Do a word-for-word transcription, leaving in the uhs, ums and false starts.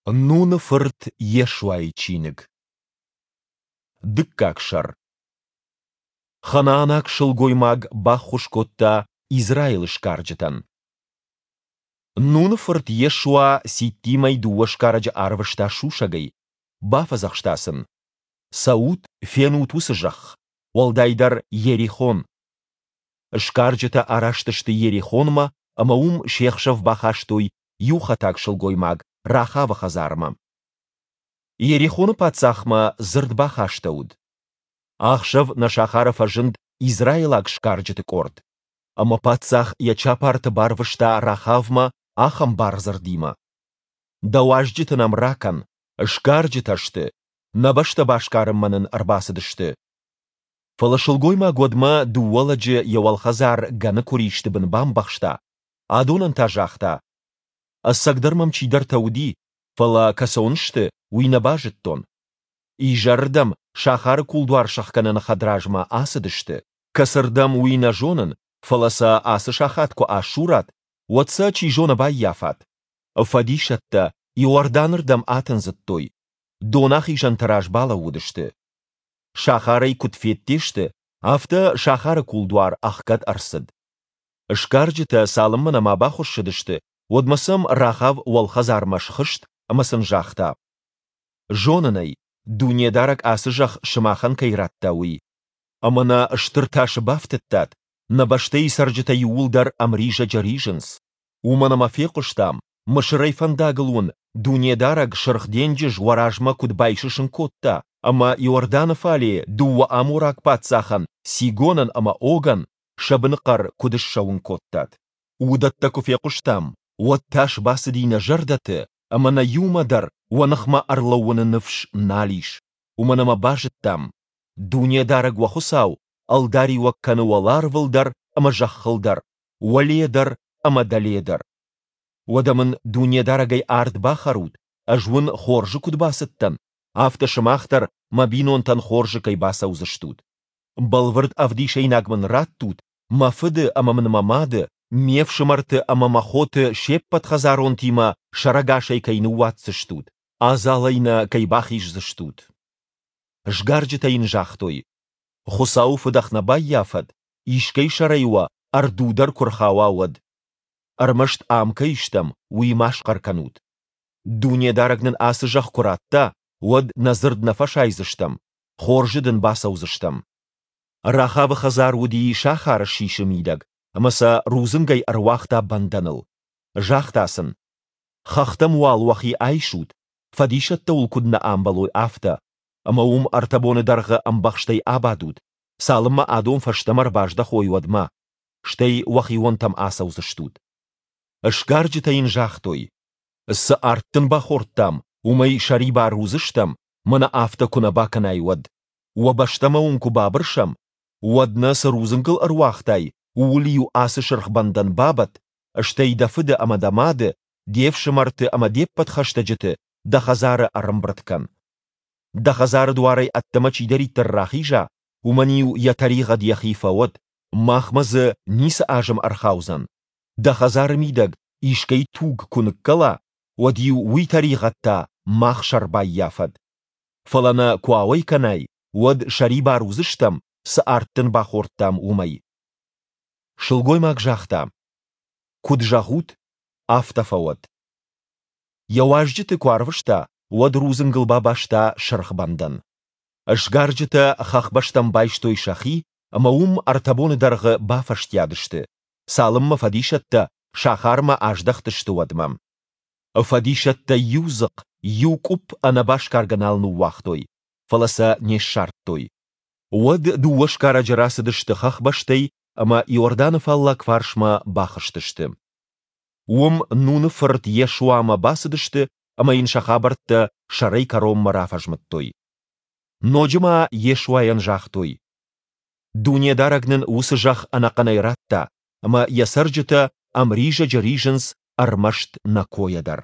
Нуны фырт Йешуайы чиныг. Дыккаг сӕр. Ханаанаг сылгоймаг баххуыс кодта Израилы сгарджытӕн. Нуны фырт Йешуа Ситтимӕй дыууӕ сгарӕджы арвыста сусӕгӕй, бафӕдзӕхста сын: Цӕут, фенут уыцы зӕхх, уӕлдайдӕр Йерихон. Сгарджытӕ араст сты Йерихонмӕ ӕмӕ уым се хсӕв бахастой иу хӕтаг сылгоймаг Рахавы хӕдзармӕ. Йерихоны паддзахмӕ дзырд бахастӕуыд: Ахсӕв нӕ сахары фӕзынд израилаг сгарджыты къорд. Ӕмӕ паддзах йӕ чапарты барвыста Рахавмӕ ахӕм бардзырдимӕ: Дӕ уазджыты нӕм ракӕн, сгарджытӕ сты, нӕ бӕстӕ басгарынмӕ нын ӕрбацыдысты. Фӕлӕ сылгоймаг уӕдмӕ дыууӕ лӕджы йӕ уӕлхӕдзар гӕны куыристы бын бамбӕхста, адонӕн та загъта: Ӕцӕгдӕр мӕм чидӕртӕ уыди, фӕлӕ кӕцон сты, уый нӕ базыдтон. Изӕрырдӕм сахары кулдуар сӕхгӕныны хӕдразмӕ ацыдысты. Кӕцырдӕм, уый нӕ зонын, фӕлӕ сӕ ацы сахат куы асурат, уӕд сӕ, чи зоны, баййафат. Фӕдисӕттӕ Иорданырдӕм атындзыдтой, донахизӕнты раз балӕууыдысты. Сахарӕй куыд федде сты, афтӕ сахары кулдуар ӕхгӕд ӕрцыд. Сгарджытӕ цалынмӕ нӕма бахуыссыдысты, уӕдмӕ сӕм Рахав уӕлхӕдзармӕ схызт ӕмӕ сын загъта: «Зонын ӕй, Дунедарӕг ацы зӕхх сымахӕн кӕй радта, уый. Ӕмӕ нӕ стыр тасы бафтыдтат, нӕ бӕстӕйы цӕрджытӕ иууылдӕр ӕмризӕджы ризынц. Уымӕн ӕмӕ фехъуыстам, Мысырӕй фӕндагыл уын Дунедарӕг Сырх денджыз уӕ размӕ куыд байсысын кодта ӕмӕ Иорданы фале дыууӕ амораг паддзахӕн, Сигонӕн ӕмӕ Огӕн, сӕ быныхъӕр куыд ссӕуын кодтат. Уыдӕттӕ куы фехъуыстам, уӕд тас бацыди нӕ зӕрдӕты ӕмӕ нӕ иумӕ дӕр уӕ ныхмӕ ӕрлӕууыны ныфс нал ис, уымӕн ӕмӕ базыдтам, Дунедарӕг уӕ Хуыцау ӕлдариуӕг кӕны уӕларвыл дӕр ӕмӕ зӕххыл дӕр, уӕле дӕр ӕмӕ дӕле дӕр. Уӕдӕ мын Дунедарӕгӕй ард бахӕрут, ӕз уын хорзы куыд бацыдтӕн, афтӕ сымах дӕр мӕ бинонтӕн хорзы кӕй бацӕудзыстут. Бӕлвырд ӕвдисӕйнаг мын раттут, мӕ фыды ӕмӕ мын мӕ мады, ме фсымӕрты ӕмӕ мӕ хоты се ппӕт хӕдзаронтимӕ сӕрӕгасӕй кӕй ныууадздзыстут, адзалӕй нӕ кӕй бахиздзыстут. Сгарджытӕ йын загътой: Хуыцауы фыдӕх нӕ баййафӕд, искӕй сӕрӕй уӕ ӕрду дӕр куы рхауа, уӕд. Ӕрмӕст ам кӕй стӕм, уый ма схъӕр кӕнут. Дунедарӕг нын ацы зӕхх куы ратта, уӕд нӕ дзырд нӕ фӕсайдзыстӕм, хорзы дын бацӕудзыстӕм. Рахавы хӕдзар уыди сахары сисы мидӕг, ӕмӕ сӕ рудзынгӕй ӕруагъта бӕндӕныл. Загъта сын: Хӕхтӕм уал уӕхи айсут, фӕдисӕттӕ уыл куыд нӕ амбӕлой, афтӕ, ӕмӕ уым ӕртӕ боны дӕргъы ӕмбӕхстӕй абадут, цалынмӕ адон фӕстӕмӕ ӕрбаздӕхой, уӕдмӕ, стӕй уӕхионтӕм ацӕудзыстут. Сгарджытӕ йын загътой: Цы ард дын бахордтам, уымӕй сӕрибар уыдзыстӕм, мӕнӕ афтӕ куы нӕ бакӕнай, уӕд. Уӕ бӕстӕмӕ уын куы бабырсӕм, уӕд нӕ цы рудзынгыл ӕруагътай, ууыл-иу ацы сырх бӕндӕн бабӕтт, стӕй дӕ фыды ӕмӕ дӕ мады, де фсымӕрты ӕмӕ де ппӕт хӕстӕджыты дӕ хӕдзары ӕрӕмбырд кӕн. Дӕ хӕдзары дуарӕй ӕддӕмӕ чидӕриддӕр рахиза, уымӕн-иу йӕ тӕригъӕд йӕхи фӕуӕд, махмӕ дзы ницы азым ӕрхаудзӕн. Дӕ хӕдзары мидӕг искӕй туг куы ныккӕла, уӕд-иу уый тӕригъӕд та мах сӕр баййафӕд. Фӕлӕ нӕ куы ауӕй кӕнай, уӕд сӕрибар уыдзыстӕм, цы ард дын бахордтам, уымӕй. Сылгоймаг загъта: Куыд зӕгъут, афтӕ фӕуӕд. Йӕ уазджыты куы арвыста, уӕд рудзынгыл бабаста сырх бӕндӕн. Сгарджытӕ хӕхбӕстӕм байстой сӕхи ӕмӕ уым ӕртӕ боны дӕргъы бафӕстиат сты, цалынмӕ фӕдисӕттӕ сахармӕ аздӕхтысты, уӕдмӕ. Фӕдисӕттӕ иу дзыхъ, иу къуыпп ӕнӕ басгаргӕ нал ныууагътой, фӕлӕ сӕ не ссардтой. Уӕд дыууӕ сгарӕджы рацыдысты хӕхбӕстӕй ӕмӕ Иорданы фаллаг фарсмӕ бахызтысты. Уым Нуны фырт Йешуамӕ бацыдысты ӕмӕ йын сӕ хабӕрттӕ сӕрӕй кӕронмӕ рафӕзмыдтой. Ноджы ма Йешуайӕн загътой: Дунедарӕг нын уыцы зӕхх ӕнӕхъӕнӕй радта, ӕмӕ йӕ цӕрджытӕ ӕмризӕджы ризынц ӕрмӕст нӕ койӕ дӕр.